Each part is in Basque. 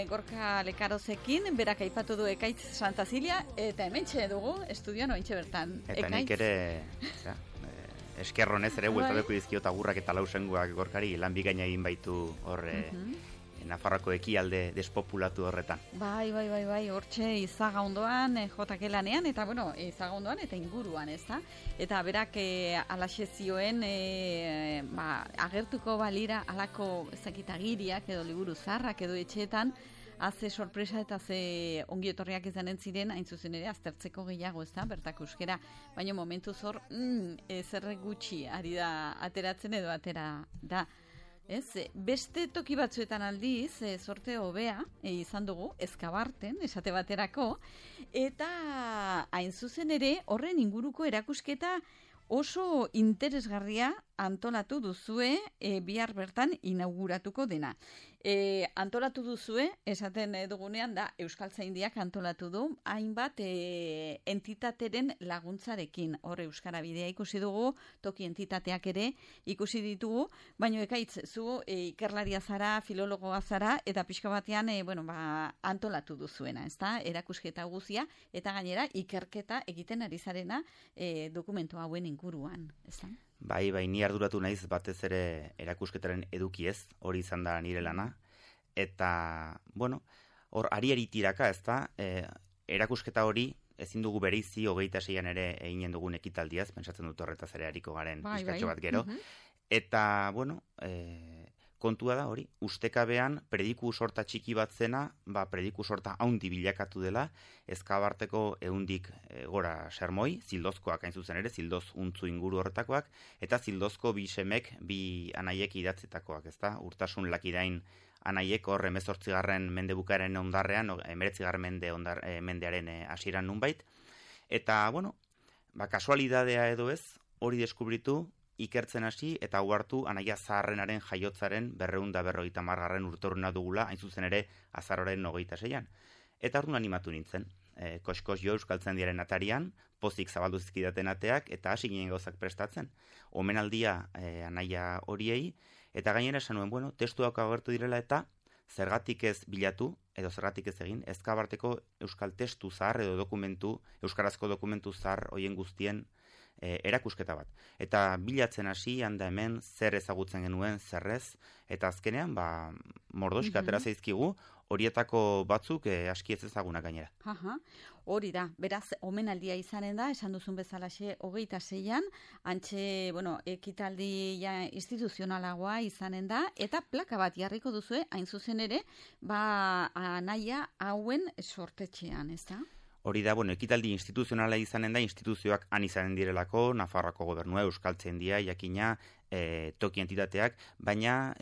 Gorka Lekarozekin, berak aipatu du Ekaitz Santa Zilia, eta hementxe dugu, estudioan ointxe bertan. Eta nik ere, eskerronez ere bueltatuko dizkiot agurrak eta lausengoak Gorkari, lan bikaina egin baitu horre, Nafarroako ekialde despopulatu horretan. Bai, hortxe Izaga ondoan, JK lanean, eta Izaga ondoan eta inguruan, ez da? Eta berak alaxe zioen, agertuko balira alako ezakitagiriak edo liburu zarrak edo etxeetan, haze sorpresa eta ze ongietorriak izanen ziren, hain zuzen ere, aztertzeko gehiago, ez da, bertako euskera. Baina momentu zor, zerre gutxi ari da ateratzen edo atera da. Ez, beste toki batzuetan aldiz, sorte hobea izan dugu, Ezkabarten, esate baterako, eta hain zuzen ere, horren inguruko erakusketa oso interesgarria antolatu duzue, bihar bertan inauguratuko dena. Antolatu duzue, esaten dugunean da, Euskaltzaindiak antolatu du, hainbat entitateren laguntzarekin. Hor Euskara Bidea ikusi dugu, toki entitateak ere ikusi ditugu, baina Ekaitz, zu ikerlaria zara, filologoa zara, eta pixka batean antolatu duzuena, ezta? Erakusketa guzia, eta gainera ikerketa egiten ari zarena dokumentu hauen inguruan, ezta? Bai, ni arduratu naiz batez ere erakusketaren edukiez, hori izan da nire lana, eta, hor ari tiraka, ez da, erakusketa hori ezin dugu bereizi 26an ere eginen dugun ekitaldiaz, pentsatzen dut horretaz ere hariko garen pizkatxo bat gero, eta, kontua da hori, ustekabean prediku sorta txiki bat zena, prediku sorta haundi bilakatu dela, Ezkabarteko ehundik gora sermoi, zildozkoak hain zuzen ere, zildoz untzu inguru horretakoak, eta zildozko bi semek, bi anaiek idatzetakoak, ezta? Urtasun Lakirain anaiek hor 18. mende bukaeren ondarrean, 19. mendearen hasieran nunbait, eta, kasualidadea edo ez, hori deskubritu, ikertzen hasi eta uhartu anaia zaharrenaren jaiotzaren 250. urteurrena dugula, hain zuzen ere azaroren 26an. Eta orduan animatu nintzen, koskos jo Euskaltzaindiaren atarian, pozik zabaldu zizkidaten ateak eta hasi ginen gauzak prestatzen. Omenaldia anaia horiei, eta gainera esan nuen, testuak agertu direla eta zergatik ez bilatu, edo zergatik ez egin, Ezkabarteko euskal testu zahar edo euskarazko dokumentu zahar hoien guztien erakusketa bat. Eta bilatzen hasi, handa hemen, zer ezagutzen genuen, zerrez, eta azkenean, mordoxka atera zaizkigu, horietako batzuk aski ez ezagunak gainera. Hori da, beraz, omenaldia izanen da, esan duzun bezalaxe 26an, antxe, ekitaldi instituzionalagoa izanen da, eta plaka bat jarriko duzue, hain zuzen ere, anaia hauen sortetxean, ez da? Hori da, ekitaldi instituzionala izanen da, instituzioak han izanen direlako, Nafarroako gobernua, Euskaltzaindia, jakina, toki entitateak, baina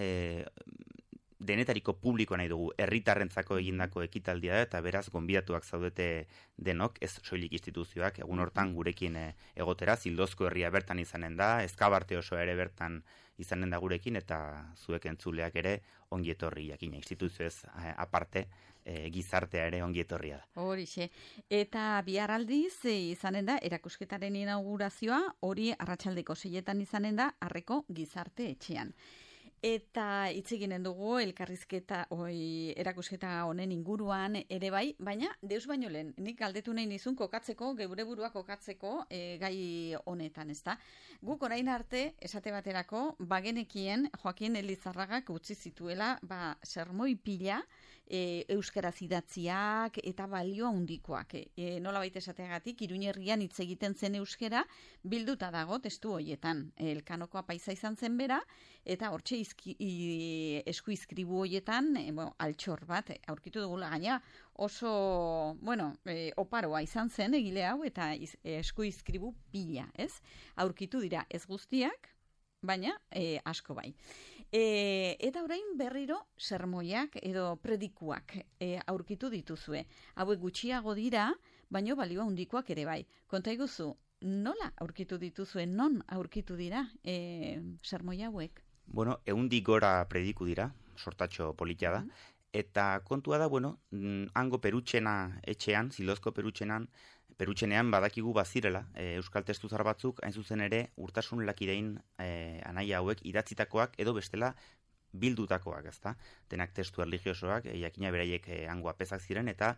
denetariko publikoa nahi dugu, herritarrentzako egindako ekitaldia da, eta beraz, gonbidatuak zaudete denok, ez soilik instituzioak, egun hortan gurekin egotera, Zildozko herria bertan izanen da, Ezkabarte oso ere bertan izanen da gurekin, eta zuek entzuleak ere ongietorri jakina, instituzioez aparte, gizartea ere ongietorria da. Horixe, eta bihar aldiz izanen da, erakusketaren inaugurazioa, hori arratsaldeko 6etan izanen da, Harreko Gizarte Etxean. Eta hitz eginen dugu erakusketa honen inguruan ere bai, baina deus baino lehen, nik galdetu nahi nizun kokatzeko, geure burua kokatzeko gai honetan, ezta? Guk orain arte, esate baterako, bagenekien Joaquin Elizarragak utzi zituela, sermoi pila, euskaraz idatziak eta balio handikoak. Nola baita esateagatik, Iruñerrian hitz egiten zen euskera, bilduta dago testu hoietan. Elkanokoa paisa izan zen bera, eta hortxe esku izkribu hoietan, altxor bat, aurkitu dugula gaina, oso, oparoa izan zen egile hau, eta esku izkribu pila, ez? Aurkitu dira ez guztiak, baina asko bai. Eta orain berriro sermoiak edo predikuak aurkitu dituzue. Hauek gutxiago dira, baina balio handikoak ere bai. Konta iguzu, nola aurkitu dituzue, non aurkitu dira sermoi hauek? 100 gora prediku dira, sortatxo politia da, eta kontua da, hango Perutxena etxean, Zildozko Perutxenean badakigu bazirela, euskal testu zar batzuk, hain zuzen ere, Urtasun Lakirain anaia hauek idatzitakoak, edo bestela, bildutakoak, ezta? Denak testu erlijiosoak, jakina beraiek hango apezak ziren, eta,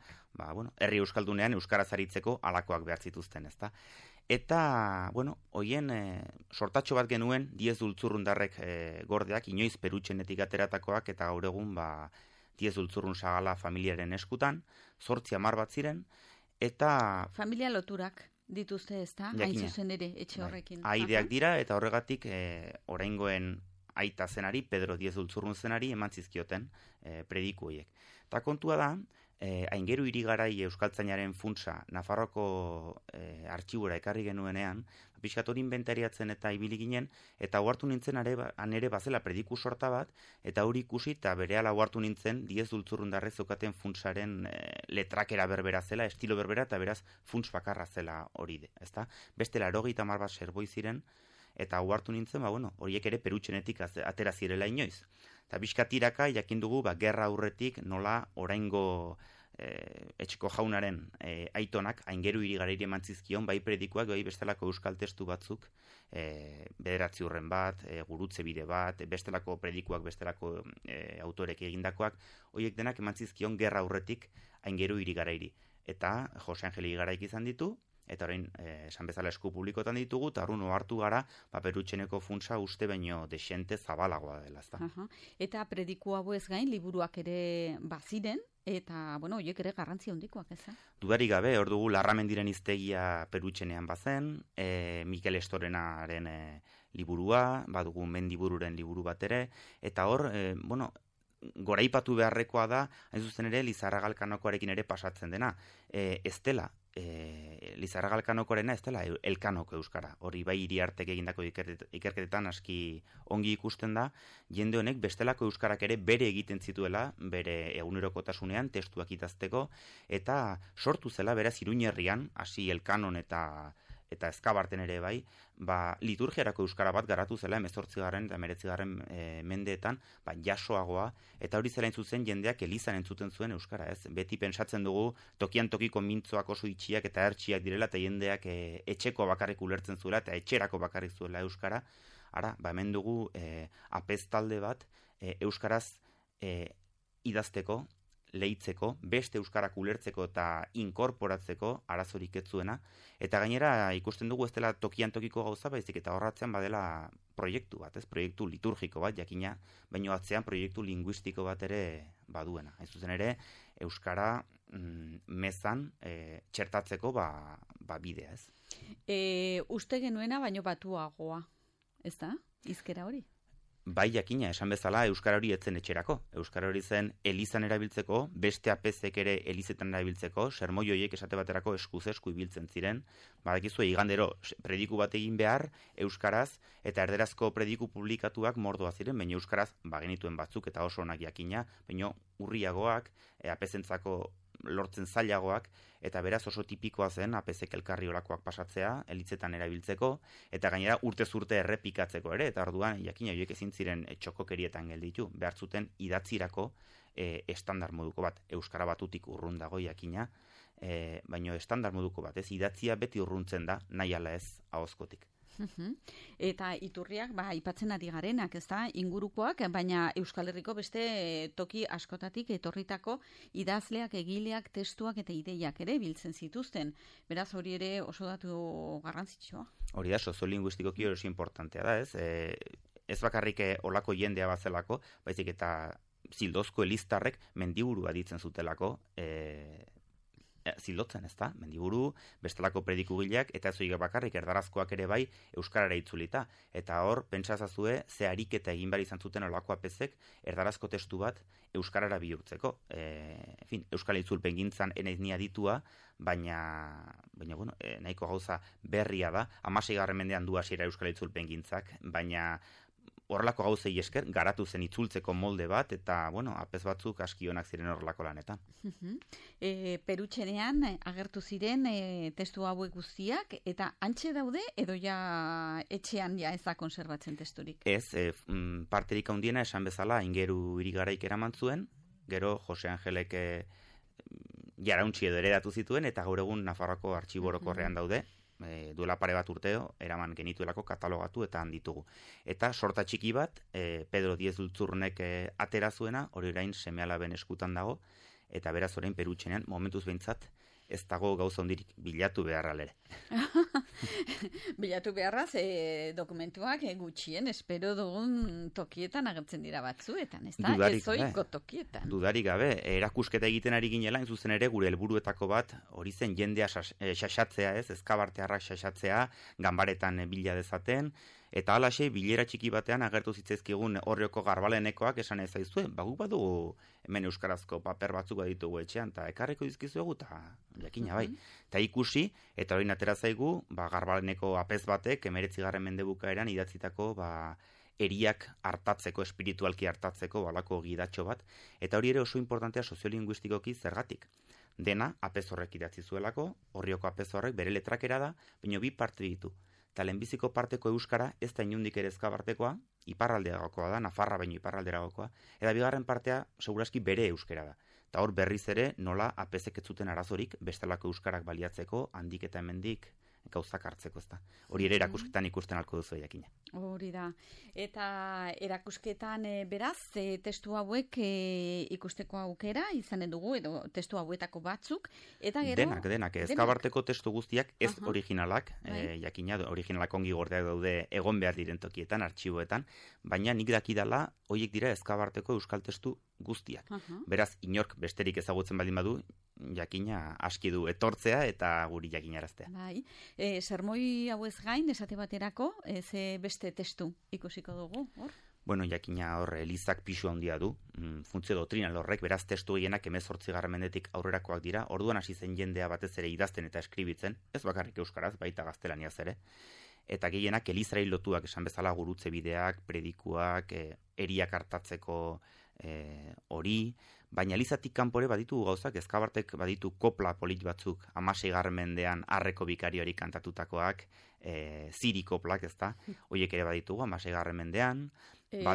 herri euskaldunean euskaraz aritzeko alakoak behar zituzten, ezta? Eta, hoien sortatxo bat genuen, Diez Dultzurrundarrek gordeak, inoiz Perutxenetik ateratakoak, eta gaur egun, Diez Dultzurrun Sagala familiaren eskutan, 8 amar bat ziren, eta... Familia loturak dituzte, ezta? Hain zuzen ere, etxe horrekin. Aideak dira, eta horregatik, oraingoen aita zenari, Pedro Diez Dultzurrun zenari, eman zizkioten prediku horiek. Eta kontua da, Aingeru Irigarai euskaltzainaren funtsa Nafarroko artxibura ekarri genuenean, pixkat hori inventariatzen eta ibili ginen, eta ohartu nintzen ere bazela prediku sorta bat, eta hori ikusi eta berehala ohartu nintzen Diez Dultzurrundarrek zeukaten funtsaren letrakera berbera zela, estilo berbera, eta beraz funts bakarra zela hori, ezta? Beste 80 bat serboi ziren, eta ohartu nintzen, horiek ere Perutxenetik atera zirela inoiz. Eta bizkatiraka jakin dugu, gerra aurretik nola oraingo etxeko jaunaren aitonak Aingeru Irigareiri eman zizkion, bai predikuak, bai bestelako euskal testu batzuk, bederatzi urren bat, gurutze bide bat, bestelako predikuak, bestelako autorek egindakoak, horiek denak eman zizkion gerra aurretik Aingeru Irigareiri. Eta Jose Angel Irigaraik izan ditu, eta orain esan bezala esku publikotan ditugu, eta horren ohartu gara, Perutxeneko funtsa uste baino desente zabalagoa dela, ezta. Eta prediku hauez gain, liburuak ere baziren, eta, horiek ere garrantzia handikoak, ez? Dudarik gabe, hor dugu Larramendiren hiztegia Perutxenean bazen, Mikel Estorenaren liburua, badugu Mendibururen liburu bat ere, eta hor, goraipatu beharrekoa da, hain zuzen ere, Lizarraga Elkanokoarekin ere pasatzen dena. Ez dela, Lizarraga Elkanokoarena ez dela elkanoko euskara. Hori bai Iriartek egindako ikerketetan aski ongi ikusten da, jende honek bestelako euskarak ere bere egiten zituela, bere egunerokotasunean testuak idazteko, eta sortu zela beraz Iruñerrian, hasi Elkanon eta Ezkabarten ere bai, liturgiarako euskara bat garatu zela 18. eta 19. Mendeetan, jasoagoa, eta hori zela zuzen jendeak elizan entzuten zuen euskara, ez? Beti pentsatzen dugu tokian tokiko mintzoak oso itxiak eta ertsiak direla, eta jendeak etxeko bakarrik ulertzen zuela, eta etxerako bakarrik zuela euskara. Ara, hemen dugu apez talde bat euskaraz idazteko, lehitzeko, beste euskarak ulertzeko eta inkorporatzeko arazorik ez zuena, eta gainera ikusten dugu ez dela tokian tokiko gauza, baizik eta horratzean badela proiektu bat, proiektu liturgiko bat, jakina, baino atzean proiektu linguistiko bat ere baduena. Hain zuzen ere, euskara mezan txertatzeko bidea, ez? Uste genuena baino batuagoa, ez da? Hizkera hori? Bai, jakina, esan bezala, euskara hori etzen etxerako. Euskara hori zen elizan erabiltzeko, beste apezek ere elizetan erabiltzeko, sermoi horiek esate baterako eskuz-esku ibiltzen ziren. Badakizu, igandero, prediku bat egin behar, euskaraz, eta erderazko prediku publikatuak mordoa ziren, baina euskaraz bagenituen batzuk eta oso onak jakina, baina urriagoak, apezentzako lortzen zailagoak, eta beraz oso tipikoa zen apezek elkarri olakoak pasatzea, elitzetan erabiltzeko, eta gainera urtez urte errepikatzeko ere, eta orduan, jakina, horiek ezin ziren txokokerietan gelditu, behar zuten idatzirako estandar moduko bat, euskara batutik urrun dago jakina, baino estandar moduko bat, ez, idatzia beti urruntzen da, nahi ala ez ahozkotik. Eta iturriak, aipatzen ari garenak, ez da, ingurukoak, baina Euskal Herriko beste toki askotatik etorritako idazleak, egileak, testuak eta ideiak ere biltzen zituzten. Beraz, hori ere oso datu garrantzitsua. Hori da, soziolinguistikoki oso importantea da, ez? Ez bakarrik olako jendea bazelako, baizik eta Zildozko eliztarrek mendiburua ditzen zutelako, zildotzen, ez da, mendiburu, bestelako predikugileak, eta ez bakarrik erdarazkoak ere bai euskarara itzulita. Eta hor, pentsazazue, ze ariketa egin behar izan zuten olako apezek erdarazko testu bat euskarara bihurtzeko. Euskal itzulpen gintzan enaiz ni aditua, baina nahiko gauza berria da, 16. mendean du hasiera euskal itzulpen gintzak, baina horrelako gauzei esker, garatu zen itzultzeko molde bat, eta, apez batzuk aski onak ziren horrelako lanetan. Perutxenean agertu ziren testu hauek guztiak, eta antxe daude, edo ja etxean ja ez da konserbatzen testurik? Ez, parterik handiena esan bezala, Aingeru Irigaraik eraman zuen, gero Jose Angelek jarauntzi edo heredatu zituen, eta gaur egun Nafarroako artxiborokorrean daude, duela pare bat urteo, eraman genituelako katalogatu eta handitugu. Eta sorta txiki bat, Pedro Diez Lultzurnek atera zuena, hori orain seme-alaben eskutan dago, eta beraz orain Perutxenean, momentuz behintzat, ez dago gauza hondirik bilatu beharra ere. Bilatu beharraz, dokumentuak gutxien espero dugun tokietan agertzen dira batzuetan, ez da? Ezoiko tokietan. Dudarik gabe, erakusketa egiten ari ginela, in zuzen ere, gure helburuetako bat, hori zen jendea xaxatzea, ez? Ezkabartearrak xaxatzea, ganbaretan bila dezaten, eta halaxe, bilera txiki batean agertu zitzaizkigun Orrioko garbalenekoak esan ezaizue, guk badugu hemen euskarazko paper batzuk baditugu etxean, eta ekarriko dizkizuegu, eta jakina bai. Eta ikusi, eta hori atera zaigu, garbaleneko apez batek, 19. mende bukaeran idatzitako, eriak hartatzeko, espiritualki hartatzeko, balako gidatxo bat, eta hori ere oso importantea soziolinguistikoki zergatik. Dena, apez horrek idatzi zuelako, Orrioko apez horrek bere letrakera da, baina bi parte ditu. Eta lehenbiziko parteko euskara ez da inundik ere ezkabartekoa, iparralderagokoa da, Nafarra baino iparralderagokoa, eta bigarren partea seguraski bere euskara da. Eta hor berriz ere nola apezek ez zuten arazorik bestelako euskarak baliatzeko, handik eta hemendik gauzak hartzeko, ezta. Hori ere erakusketan ikusten alko duzu jakina. Hori da. Eta erakusketan beraz, testu hauek ikusteko aukera izanen dugu, edo testu hauetako batzuk, eta gero... Denak. Ezkabarteko testu guztiak ez originalak, jakina, originalak ongi gordeak daude egon behar diren tokietan, artxiboetan, baina nik dakidala, horiek dira ezkabarteko euskal testu guztiak. Beraz, inork besterik ezagutzen baldin badu, jakina aski du etortzea eta guri jakinaraztea. Bai, sermoi hauez gain, esate baterako, ze beste testu ikusiko dugu, hor? Bueno, jakina hor, Elizak pisu handia du, funtzio doktrinal horrek, beraz testu gehienak 18. mendetik aurrerakoak dira, orduan hasi zen jendea batez ere idazten eta eskribitzen, ez bakarrik euskaraz, baita gaztelaniaz ere, eta gehienak Elizari lotuak esan bezala gurutze bideak, predikuak, eriak hartatzeko hori, baina Elizatik kanpore baditu gauzak, ezkabartek baditu kopla polit batzuk, 16. mendean Arreko bikarioari kantatutakoak, ziri koplak, ezta, horiek ere baditugu 16. mendean.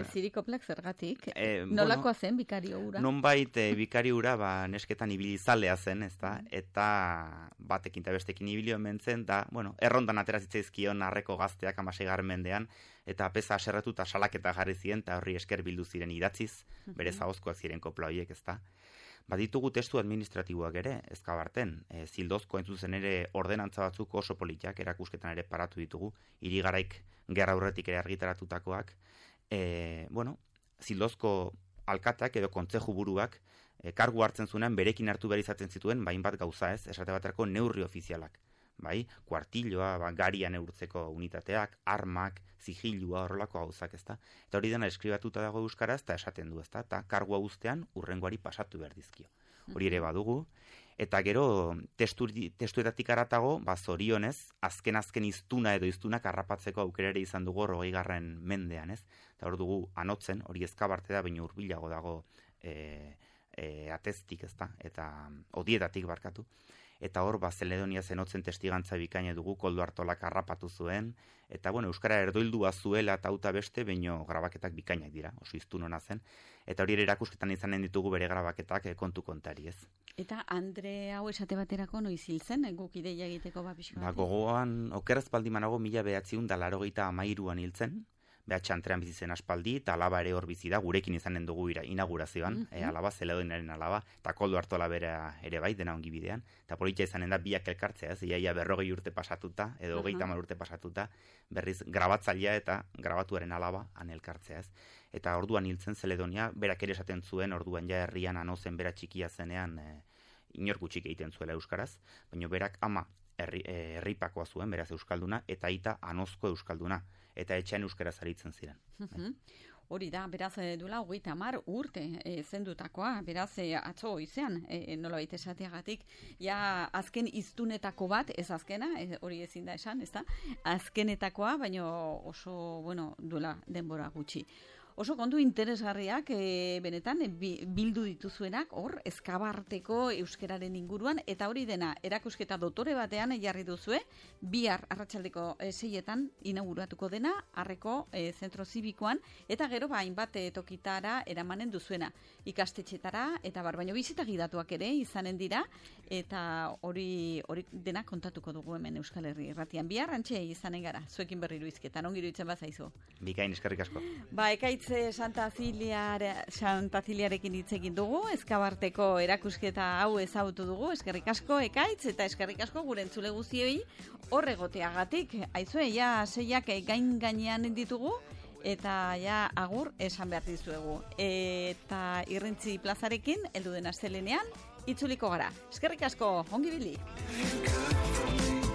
Ziri koplak zergatik? Nolakoa zen bikario ura? Nonbait bikario ura nesketan ibilizalea zen, ezta, eta batekin eta bestekin ibilio mentzen, da, errondan atera zitzaizkion Arreko gazteak 16. mendean, eta apeza aserratu eta salaketa jarri ziren, eta horri esker bildu ziren idatziz, bere zahozkoak ziren kopla horiek, ezta. Baditugu testu administratiboak ere, ezkabarten, zildozko entzuzen ere ordenantza batzuk oso politak, erakusketan ere paratu ditugu, hirigaraik gerra aurretik ere argitaratutakoak, zildozko alkatak edo kontzeju buruak kargu hartzen zuenean berekin hartu behar izaten zituen, bain bat gauza ez, esate baterako neurri ofizialak. Bai, kuartilloa, garia neurtzeko unitateak, armak, zigilua, horrelako gauzak, ezta. Eta hori dena eskribatuta dago euskaraz, eta esaten du, ezta. Eta kargua guztean urrengoari pasatu behar dizkio. Hori ere badugu. Eta gero, testuetatik aratago, zorionez, azken iztuna edo iztunak harrapatzeko aukera ere izan dugu 20. mendean, ez? Eta hor dugu anotzen, hori ezkabarte da, baina hurbilago dago ateztik, ezta, eta odietatik barkatu. Eta hor, Zeledonia zenotzen testigantza bikaina dugu, Koldo Artolak harrapatu zuen, eta euskara erdoildua zuela eta auta beste, baino grabaketak bikainak dira, oso iztun hona zen, eta hori erakusketan izanen ditugu bere grabaketak kontu kontari ez. Eta Andre hau esate baterako noiz hil zen, guk ideia egiteko pixka bat? Gogoan, okeraz baldimanago 1983an hil zen, behatxantrean bizi zen aspaldi, eta alaba ere hor bizi da, gurekin izanen dugu inaugurazioan, alaba, Zeledoniaren alaba, eta Koldo Artola bera ere bai, dena ongi bidean, eta politia izanen da biak elkartzea, ez, iaia 40 urte pasatuta, edo 30 urte pasatuta, berriz grabatzailea eta grabatuaren alaba han elkartzea, ez. Eta orduan hiltzen Zeledonia, berak ere esaten zuen, orduan ja herrian anozen bera txikia zenean, inor gutxik egiten zuela euskaraz, baina berak ama herripakoa zuen, beraz euskalduna, eta aita anozko euskalduna, eta etxean euskaraz aritzen ziren. Hori da, beraz duela 30 urte zendutakoa, beraz atzo goizean, nolabait esateagatik, ja azken iztunetako bat, ez azkena, hori ezin da esan, ez da, azkenetakoa, baina oso, duela denbora gutxi. Oso kontu interesgarriak benetan bildu dituzuenak hor Ezkabarteko euskararen inguruan, eta hori dena erakusketa dotore batean jarri duzue, bihar arratsaldeko 6etan inauguratuko dena Arreko zentro zibikoan, eta gero hainbat tokitara eramanen duzuena, ikastetxetara eta baino bisita gidatuak ere izanen dira, eta hori dena kontatuko dugu hemen Euskal Herri Irratian. Bihar antxe izanen gara, zuekin berriro izketan, ongi iruditzen bazaizu. Bikain, eskerrik asko. Ekaitz Santa Ziliarekin hitz egin dugu, Ezkabarteko erakusketa hau ezagutu dugu, eskerrik asko Ekaitz, eta eskerrik asko gure entzule guztioi hor egoteagatik. Aizue, ja 6ak gainean ditugu, eta ja agur esan behar dizuegu. Eta Irrintzi plazarekin, heldu den astelenean, itzuliko gara. Eskerrik asko, ongi bili!